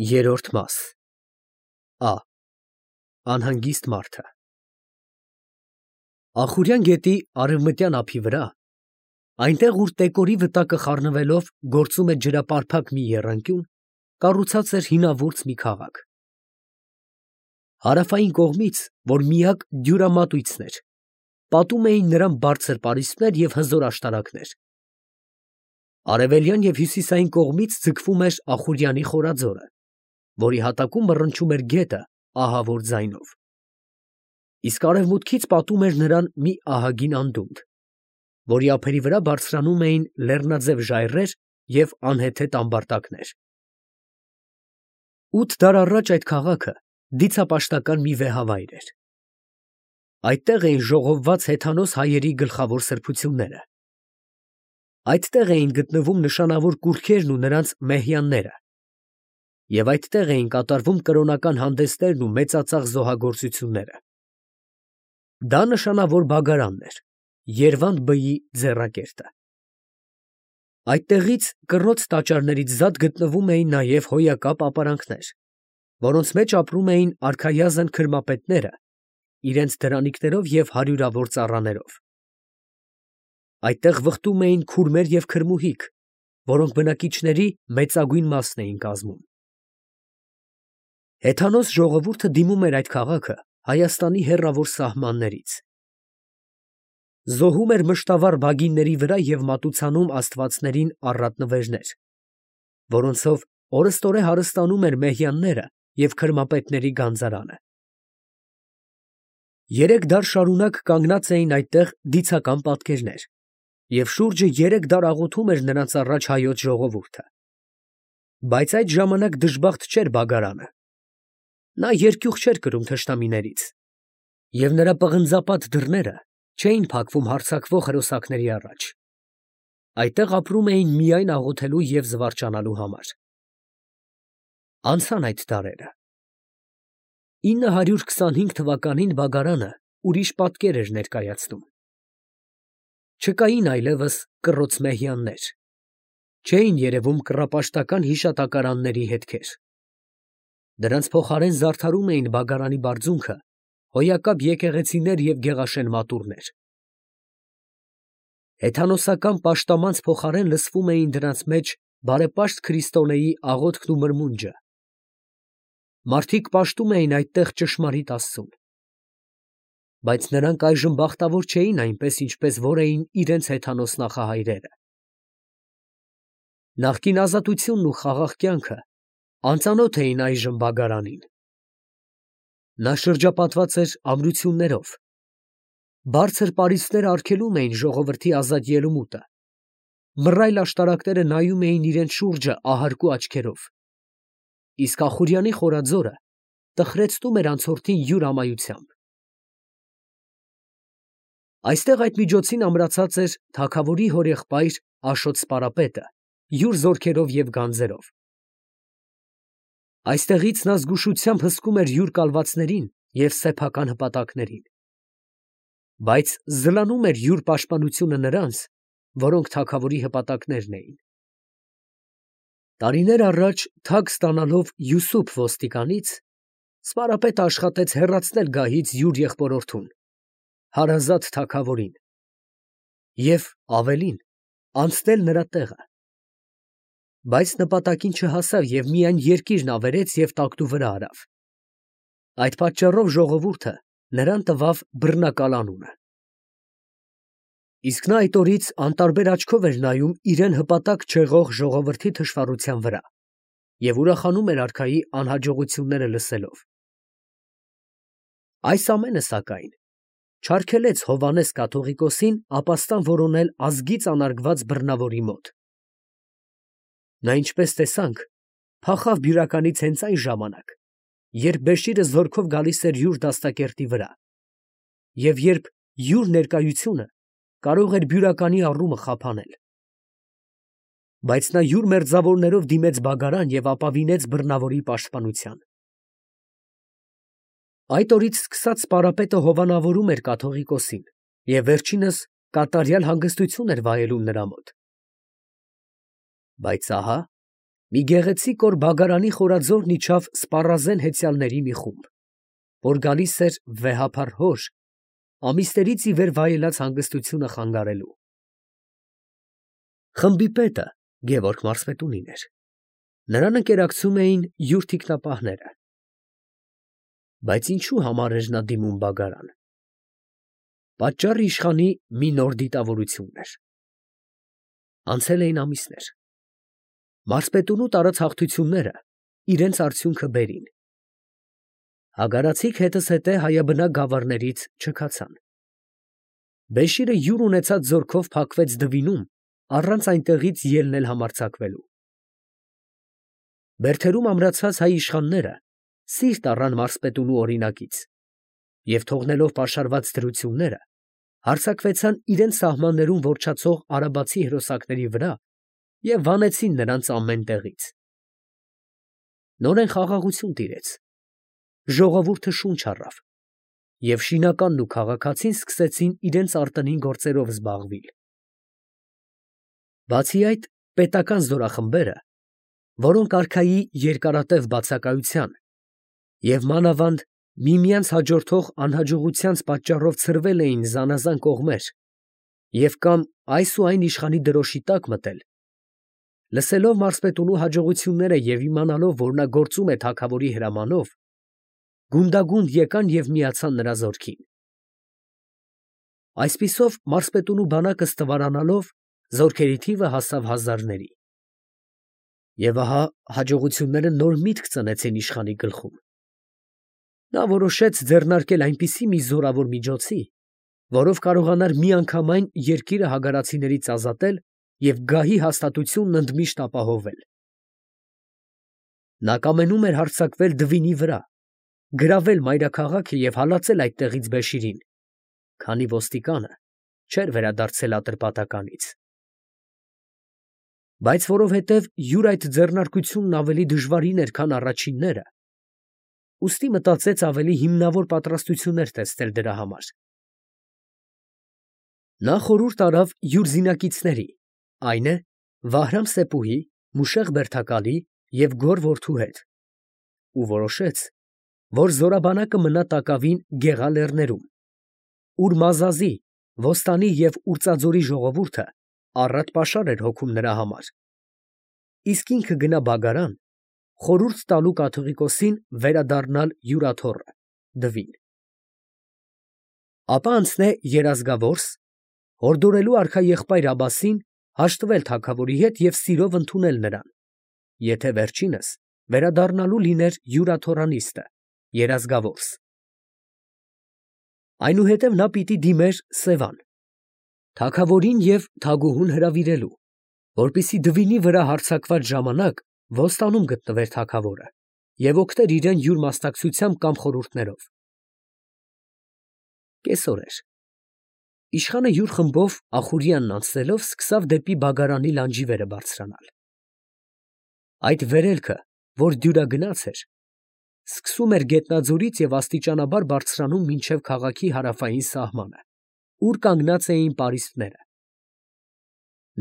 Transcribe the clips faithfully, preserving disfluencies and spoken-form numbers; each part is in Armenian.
Երրորդ մաս Ա Անհանգիստ մարդը Ախուրյան գետի արևմտյան ափի վրա, այնտեղ, ուր տեկորի վտակը խառնվելով գործում է ջրապարփակ մի եռանկյուն, կառուցած էր հինավուրց մի քաղաք. հարավային կողմից, որ միակ դյուրամատույցն էր, պատում էին նրան բարձր պարիսպներ և հզոր աշտարակներ. արևելյան և հյուսիսային կողմից ձգվում էր Ախուրյանի խորաձորը, որի հատակում մռնչում էր գետը ահավոր ձայնով, իսկ արևմուտքից պատում էր նրան մի ահագին անդունդ, որի ափերի վրա բարձրանում էին լեռնաձև ժայռեր և անհեթեթ ամբարտակներ. Ութ դար առաջ այդ քաղաքը դիցապաշտական մի վեհավայր էր. այդտեղ էին ժողովված հեթանոս հայերի գլխավոր սրբությունները, այդտեղ էին գտնվում նշանավոր կուռքերն ու նրանց մեհյանները, և այդտեղ էին կատարվում կրոնական հանդեսներն ու մեծածախ զոհագործությունները. դա նշանավոր բագարանն էր, Երվանդ բեի ձեռակերտը. այդտեղից կռոց տաճարներից զատ գտնվում էին նաև հոյակապ ապարանքներ, որոնց մեջ ապրում էին արքայազն քրմապետները իրենց դրանիքներով և հարյուրավոր ծառաներով. այդտեղ վխտում էին քուրմեր և քրմուհիկ, որոնք բնակիչների մեծագույն մասն էին կազմում. հեթանոս ժողովուրդը դիմում էր այդ քաղաքը Հայաստանի հեռավոր սահմաններից, զոհում էր մշտավառ բագինների վրա և մատուցանում աստվածներին առատ նվերներ, որոնցով օրըստօրե հարստանում էր մեհյանները և քրմապետների գանձարանը. երեք դար շարունակ կանգնած էին այդտեղ դիցական պատկերներ, և շուրջը երեք դար աղոթում էր նրանց առաջ հայոց ժողովուրդը, բայց այդ ժամանակ դժբախտ չէր բագարանը, նա երկյուղ չէր կրում թշնամիներից, և նրա պղնձապատ դռները չէին փակվում հարձակվող հրոսակների առաջ. այդտեղ ապրում էին միայն աղոթելու և զվարճանալու համար. Անցան այդ դարերը. ինը հարյուր քսանհինգ թվականին բագարանը ուրիշ պատկեր էր ներկայացնում. չկային այլևս կռոց մեհյաններ, չէին երևում կռապաշտական հիշատակարանների հետքեր. դրանց փոխարեն զարդարում էին բագարանի բարձունքը հոյակապ եկեղեցիներ և գեղաշեն մատուռներ. հեթանոսական պաշտամանց փոխարեն լսվում էին դրանց մեջ բարեպաշտ քրիստոնեի աղոթքն ու մրմունջը. մարդիկ պաշտում էին այդտեղ ճշմարիտ Աստծուն, բայց նրանք այժմ բախտավոր չէին այնպես, ինչպես որ էին իրենց հեթանոս նախահայրերը. նախկին ազատությունն ու խաղաղ կյանքը անծանոթ էին այժմ բագարանին. նա շրջապատված էր ամրություններով, բարձր պարիսպները արգելում էին ժողովրդի ազատ ելումուտը, մռայլ աշտարակները նայում էին իրենց շուրջը ահարկու աչքերով, իսկ Ախուրյանի խորաձորը տխրեցնում էր անցորդին յուր ամայությամբ. այստեղ այդ միջոցին ամրացած էր թագավորի հորեղբայր Աշոտ Սպարապետը յուր զորքերով և գանձերով. այստեղից նա զգուշությամբ հսկում էր յուր կալվածներին և սեփական հպատակներին, բայց զլանում էր յուր պաշտպանությունը նրանց, որոնք թագավորի հպատակներն էին. տարիներ առաջ թագ ստանալով Յուսուփ ոստիկանից, Սպարապետը աշխատեց հեռացնել գահից յուր եղբորորդուն, հարազատ թագավորին, և ավելին, անցնել նրա տեղը, բայց նպատակին չհասավ և միայն երկիրն ավերեց և տակտու վրա արավ. այդ պատճառով ժողովուրդը նրան տվավ բռնակալ անունը. իսկ նա այդ օրից անտարբեր աչքով էր նայում իրան հպատակ չեղող ժողովրդի թշվառության վրա և ուրախանում էր արքայի անհաջողությունները լսելով. այս ամենը, սակայն, չարգելեց Հովհաննես կաթողիկոսին ապաստան որոնել ազգից անարգված բռնավորի մոտ. նա, ինչպես տեսանք, փախավ բյուրականից հենց այն ժամանակ, երբ Բեշիրը զորքով գալիս էր յուր դաստակերտի վրա, և երբ յուր ներկայությունը կարող էր բյուրականի առումը խափանել. բայց նա յուր մերձավորներով դիմեց բագարան և ապավինեց բռնավորի պաշտպանության. այդ օրից սկսած Սպարապետը հովանավորում էր կաթողիկոսին և վերջինս կատարյալ հանգստություն էր վայելում նրա մոտ. բայց ահա Մի գեղեցիկ օր Բագարանի խորաձորն իջավ սպառազեն հեծյալների մի խումբ, որ գալիս էր վեհափառ հոր, ամիսներից ի վեր վայելած հանգստությունը խանգարելու։ Խմբի պետը Գևորգ մարզպետունին էր. նրան ընկերակցում էին յուր թիկնապահները։ Բայց ինչու համար էր նա դիմում Բագարան։ Պատճառը իշխանի մի նոր դիտավորությունն էր։ Անցել էին ամիսներ։ Մարզպետունու տարած հաղթությունները իրենց արդյունքը բերին։ Հագարացիք հետզհետե հայաբնակ գավառներից չքացան։ Բեշիրը յուր ունեցած զորքով փակվեց Դվինում, առանց այնտեղից ելնել համարձակվելու։ Բերդերում ամրացած հայ իշխանները սիրտ առան մարզպետունու օրինակից և թողնելով պաշարված դրությունները, հարձակվեցան իրենց սահմաններում որջացող արաբացի հրոսակների վրա և վանեցին նրանց ամեն տեղից։ Նորեն խաղաղություն տիրեց, ժողովուրդը շունչ առավ, և շինականն ու քաղաքացին սկսեցին իրենց արտոնին գործերով զբաղվել։ Բացի այդ, պետական զորախմբերը, որոնք արքայի երկարատև բացակայության և մանավանդ միմյանց հաջորդող անհաջողությանց պատճառով ցրվել էին զանազան կողմեր և կամ այս ու այն իշխանի դրոշի տակ մտել, լսելով մարզպետունու հաջողությունները և իմանալով, որ նա գործում է թագավորի հրամանով, գունդագունդ եկան և միացան նրա զորքին։ Այսպիսով մարզպետունու բանակը ստվարանալով, զորքերի թիվը հասավ հազարների։ Եվ ահա հաջողությունները նոր միտք ծնեցին իշխանի գլխում։ Նա որոշեց ձեռնարկել այնպիսի մի զորավոր միջոցի, որով կարողանար միանգամայն երկիրը հագարացիներից ազատել և գահի հաստատությունն ընդմիշտ ապահովել։ Նա կամենում էր հարձակվել Դվինի վրա, գրավել մայրաքաղաքը և հալածել այդտեղից Բեշիրին, քանի ոստիկանը չէր վերադարձել Ատրպատականից։ Բայց որովհետև յուր այդ ձեռնարկությունն ավելի դժվարին էր, քան առաջինները, ուստի մտածեց ավելի հիմնավոր պատրաստություններ տեսնել դրա համար։ Նա խորհուրդ արավ յուր զինակիցների, այն է Վահրամ֊Սեպուհի, Մուշեղ Բերդակալի և Գոր որդու հետ, ու որոշեց, որ զորաբանակը մնա տակավին Գեղա լեռներում, ուր Մազազի, Ոստանի և Ուրծաձորի ժողովուրդը առատ պաշար էր հոգում նրա համար, իսկ ինքը գնա Բագարան, խորհուրդ տալու կաթողիկոսին վերադառնալ յուր աթոռը՝ Դվին։ Ապա անցնե Երազգավորս, հորդորելու արքաեղբայր Աբասին հաշտվել թագավորի հետ և սիրով ընդունել նրան, եթե վերջինս վերադառնալու լիներ յուր աթոռանիստը՝ Երազգավորս։ Այնուհետև նա պիտի դիմեր Սևան, թագավորին և թագուհուն հրավիրելու, որպեսզի Դվինի վրա հարձակված ժամանակ Ոստանում գտնվեր թագավորը և օգներ իրան յուր մասնակցությամբ կամ խորհուրդներով։ Կեսօր էր։ Իշխանը յուր խմբով Ախուրյանն անցնելով սկսավ դեպի Բագարանի լանջիվերը բարձրանալ։ Այդ վերելքը, որ դյուրագնաց էր, սկսում էր Գետնաձորից և աստիճանաբար բարձրանում մինչև քաղաքի հարավային սահմանը, ուր կանգնած էին պարիսպները։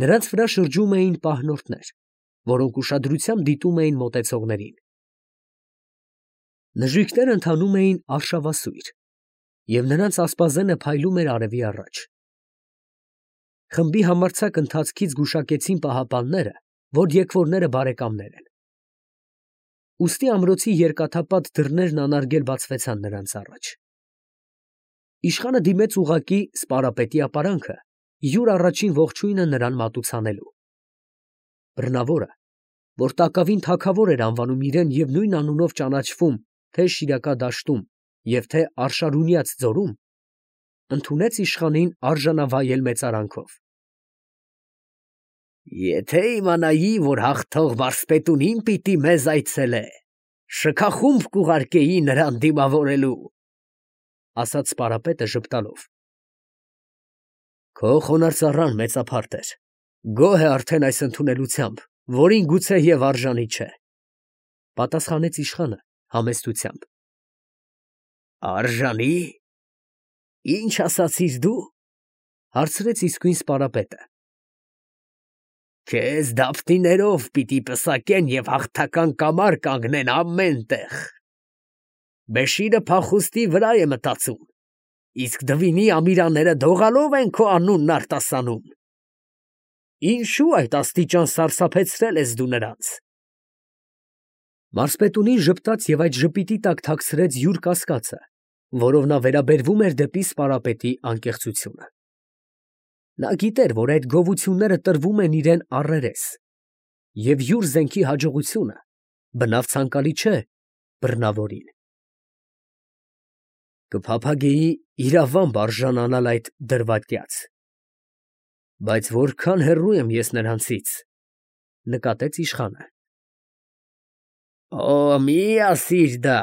Նրանց վրա շրջում էին պահնորդներ, որոնք ուշադրությամբ դիտում էին մոտեցողներին։ Նժույգները ընթանում էին արշավասույր, և նրանց ասպազենը փայլում էր արևի առաջ։ Խմբի համարձակ ընթացքից գուշակեցին պահապանները, որ եկվորները բարեկամներ են։ Ուստի ամրոցի երկաթապատ դռներն անարգել բացվեցան նրանց առաջ։ Իշխանը դիմեց ուղղակի սպարապետի ապարանքը, յուր առաջին ողջույնը նրան մատուցանելու։ Բռնավորը, որ տակավին թագավոր էր անվանում իրան և նույն անունով ճանաչվում թե Շիրակա դաշտում և թե Արշարունյաց ձորում, ընդունեց իշխանին արժանավայել մեծարանքով։ Եթե իմանայի, որ հաղթող մարզպետունին պիտի մեզ այցելե, շքախումբ կուղարկեի նրան դիմավորելու, ֊ ասաց սպարապետը ժպտալով։ Քո խոնարհ ծառան մեծափարտ էր, գոհ է արդեն այս ընդունելությամբ, որին գուցե և արժանի չէ, ֊ պատասխանեց իշխանը համեստությամբ։ Արժանի՞, ի՞նչ ասացիր դու, ֊ հարցրեց իսկույն սպարապետը։ Քեզ դավթիներով պիտի պսակեն և հաղթական կամար կանգնեն ամեն տեղ։ Բեշիրը փախուստի վրա է մտածում, իսկ դվինի ամիրանները դողալով են քո անունն արտասանում։ Ինչու այդ աստիճան սարսափեցրել ես դու նրանց։ Մարսպետունին ժպտաց և այդ ժպիտի տակ թաքցրեց յուր կասկածը, որով նա վերաբերվում էր դեպի սպարապետի անկեղծությունը։ Նա գիտեր, որ այդ գովությունները տրվում են իրան առերես, և յուր զենքի հաջողությունը բնավ ցանկալի չէ բռնավորին։ Կփափագեի իրավամբ արժանանալ այդ դրվատյաց, բայց որքան հեռու եմ ես նրանցից, նկատեց իշխանը։ Օ, մի ասիր դա,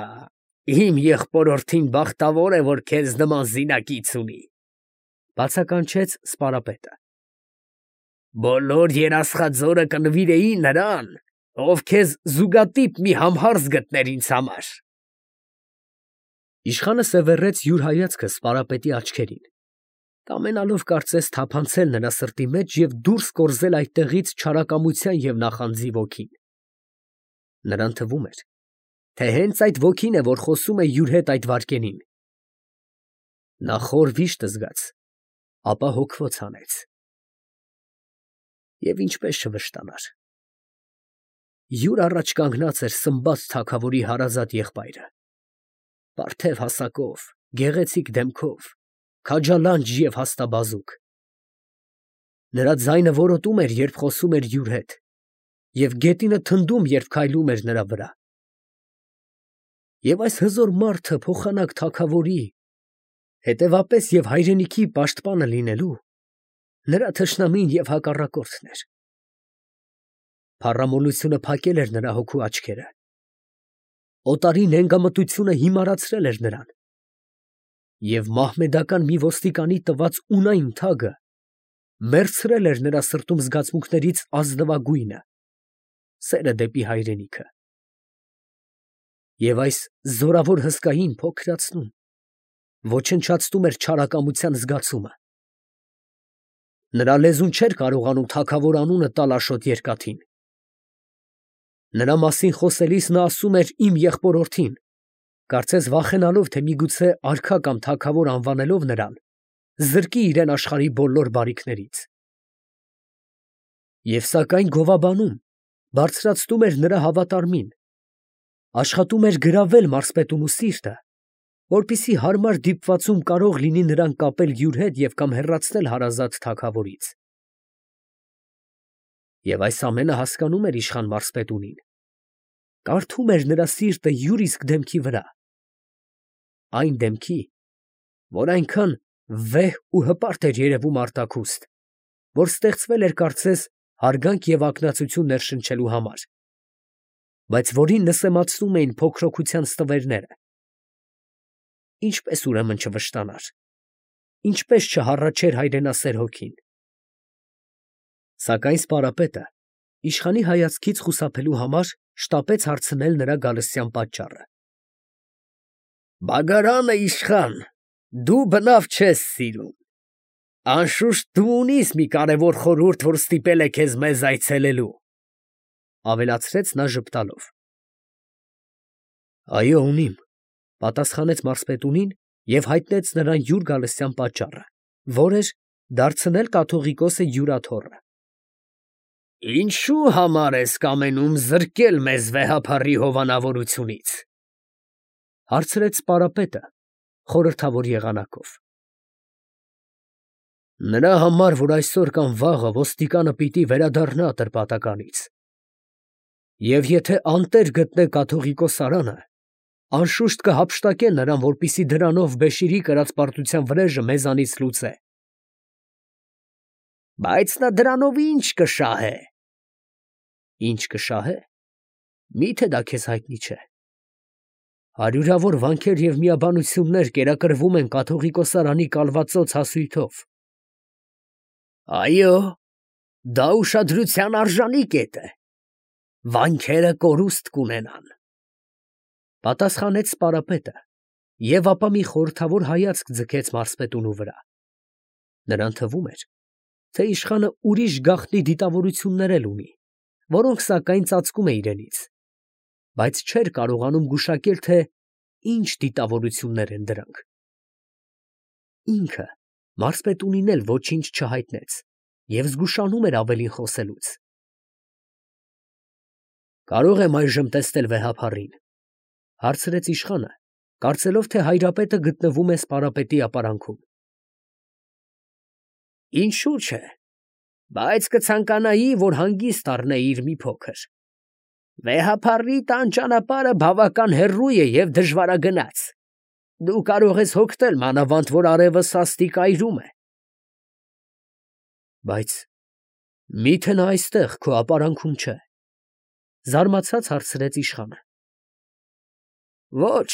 իմ եղբորորդին բախտավոր է, որ քեզ նման զինակից ունի, բացականչեց սպարապետը։ Բոլոր երասխաձորը կնվիրեի նրան, ով քեզ զուգատիպ մի համհարս գտներ ինձ համար։ Իշխանը սևեռեց յուր հայացքը սպարապետի աչքերին, կամենալով կարծես թափանցել նրա սրտի մեջ և դուրս կորզել այդտեղից չարակամության և նախանձի ոգին։ Նրան թվում էր, թե հենց այդ ոգին է, որ խոսում է յուր հետ այդ վայրկյանին։ Նա խոր վիշտ զգաց, ապա հոգվոց հանեց։ Եվ ինչպես չվշտանար։ Յուր առաջ կանգնած էր Սմբաց թագավորի հարազատ եղբայրը, պարթև հասակով, գեղեցիկ դեմքով, քաջալանջ և հաստաբազուկ։ Նրա ձայնը որոտում էր, երբ խոսում էր յուր հետ, և գետինը թնդում, երբ քայլում էր նրա վրա։ Եվ այս հզոր մարդը փոխանակ թագավորի, հետևապես և հայրենիքի պաշտպանը լինելու, նրա թշնամին և հակառակորդն էր։ Փառամոլությունը փակել էր նրա հոգու աչքերը։ Օտարի նենգամտությունը հիմարացրել էր նրան։ Եվ մահմեդական մի ոստիկանի տված ունայն թագը մեռցրել էր նրա սրտում զգացմունքներից ազնվագույնը՝ սերը դեպի հայրենիքը։ Եվ այս զորավոր հսկային փոքրացնում, ոչնչացնում էր չարակամության զգացումը։ Նրա լեզուն չէր կարողանում թագավոր անունը տալ աշոտ երկաթին։ Նրա մասին խոսելիս նա ասում էր իմ եղբորորդին, կարծես վախենալով, թե միգուցե արքա կամ թագավոր անվանելով նրան, զրկի իրեն աշխարհի բոլոր բարիքներից։ Եվ սակայն գովաբանում բարձրացնում էր նրա հավատարմին, աշխատում էր գրավել մարսպետունու սիրտը, որպեսզի հարմար դիպվածում կարող լինի նրան կապել յուր հետ և կամ հեռացնել հարազատ թագավորից։ Եվ այս ամենը հասկանում էր իշխան մարսպետունին, կարդում էր նրա սիրտը յուր իսկ դեմքի վրա, այն դեմքի, որ այնքան վեհ ու հպարտ էր երևում արտաքուստ, որ ստեղծվել էր կարծես հարգանք և ակնածություն ներշնչելու համար, բայց որին նսեմացնում էին փոքրոքության ստվերները։ Ինչպես ուրեմն չվշտանար, ինչպես չհառաչեր հայրենասեր հոգին։ Սակայն սպարապետը իշխանի հայացքից խուսափելու համար շտապեց հարցնել նրա գալստյան պատճառը։ Բագարանը, իշխան, դու բնավ չես սիրում։ Անշուշտ դու ունիս մի կարևոր խորհուրդ, որ ստիպել է քեզ մեզ այցելելու, ավելացրեց նա ժպտալով։ Այո, ունիմ, պատասխանեց մարսպետունին և հայտնեց նրան յուր գալստյան պատճառը, որ էր դարձնել կաթողիկոսը յուրաթոռը։ Ինչու համար ես կամենում զրկել մեզ վեհափառի հովանավորությունից, հարցրեց սպարապետը խորհրդավոր եղանակով։ Նրա համար, որ այսօր կամ վաղը ոստիկանը պիտի վերադառնա ատրպատականից, և եթե անտեր գտնե կաթողիկոս Սարանը, անշուշտ կհափշտակե նրան, որպեսզի դրանով Բեշիրի կրած պարտության վրեժը մեզանից լուծե։ Բայց նա դրանով ի՞նչ կշահե։ Ի՞նչ կշահե։ Մի՞թե դա քեզ հայտնի չէ։ Հարյուրավոր վանքեր և միաբանություններ կերակրվում են կաթողիկոս Սարանի կալվածոց հասույթով։ Այո, դա ուշադրության արժանի կետ է։ Վանքերը կորուստ կունենան, պատասխանեց սպարապետը և ապա մի խորհրդավոր հայացք ձգեց մարսպետունու վրա։ Նրան թվում էր, թե իշխանը ուրիշ գաղտնի դիտավորություններ էլ ունի, որոնք սակայն ծածկում է իրենից, բայց չէր կարողանում գուշակել, թե ինչ դիտավորություններ են դրանք։ Ինքը մարզպետունին էլ ոչինչ չհայտնեց և զգուշանում էր ավելին խոսելուց։ «Կարող եմ այժմ տեսնել վեհափառին», ֊ հարցրեց իշխանը, կարծելով, թե հայրապետը գտնվում է սպարապետի ապարանքում։ «Ինչու՞ չէ, բայց կցանկանայի, որ հանգիստ առնեիր մի փոքր։ Վեհափառի տան ճանապարհը բավական հեռու է և դժվարագնաց. դու կարող ես հոգնել, մանավանդ որ արևը սաստիկ այրում է»։ «Բայց մի՞թե նա այստեղ քո ապարանքում չէ», ֊ զարմացած հարցրեց իշխանը։ «Ոչ»։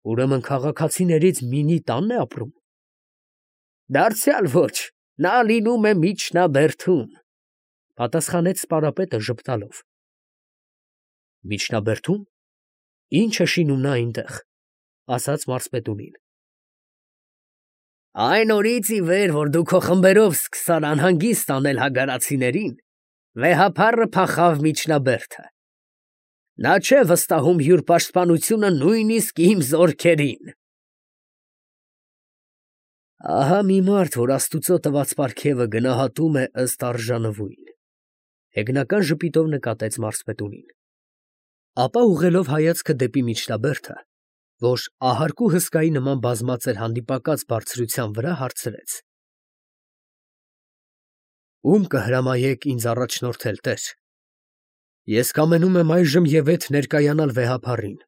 «Ուրեմն քաղաքացիներից մինի տա՞նն է ապրում»։ «Դարձյալ ոչ, նա լինում է միջնաբերդում», ֊ պատասխանեց սպարապետը ժպտալով։ «Միջնաբերդում, ի՞նչ է շինում նա այնտեղ», ֊ ասաց մարզպետունին։ «Այն օրից ի վեր, որ դու քո խմբերով սկսան անհանգիստ անել հագարացիներին, վեհափառը փախավ միջնաբերդը։ Նա չէ վստահում յուր պաշտպանությունը նույնիսկ իմ զորքերին»։ «Ահա մի մարդ, որ աստուծո տված պարգևը գնահատում է ըստ արժանվույն», ֊ հեգնական ժպիտով նկատեց մարզպետունին։ Ապա ուղղելով հայացքը դեպի միջնաբերդը, որ ահարկու հսկայի նման բազմած էր հանդիպակաց բարձրության վրա, հարցրեց. «Ո՞ւմ կհրամայեք ինձ առաջնորդել, տեր։ Ես կամենում եմ այժմ և ետ ներկայանալ վեհափառին»։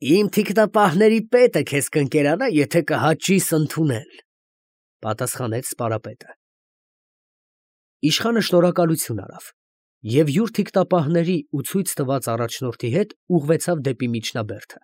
«Իմ թիկնապահների պետը քեզ կընկերանա, եթե կհաճիս ընդունել», ֊ պատասխանեց սպարապետը։ Իշխանը շնորհակալություն արավ և յուր թիկնապահների ու ցույց տված առաջնորդի հետ ուղղվեցավ դեպի միջնաբերդը։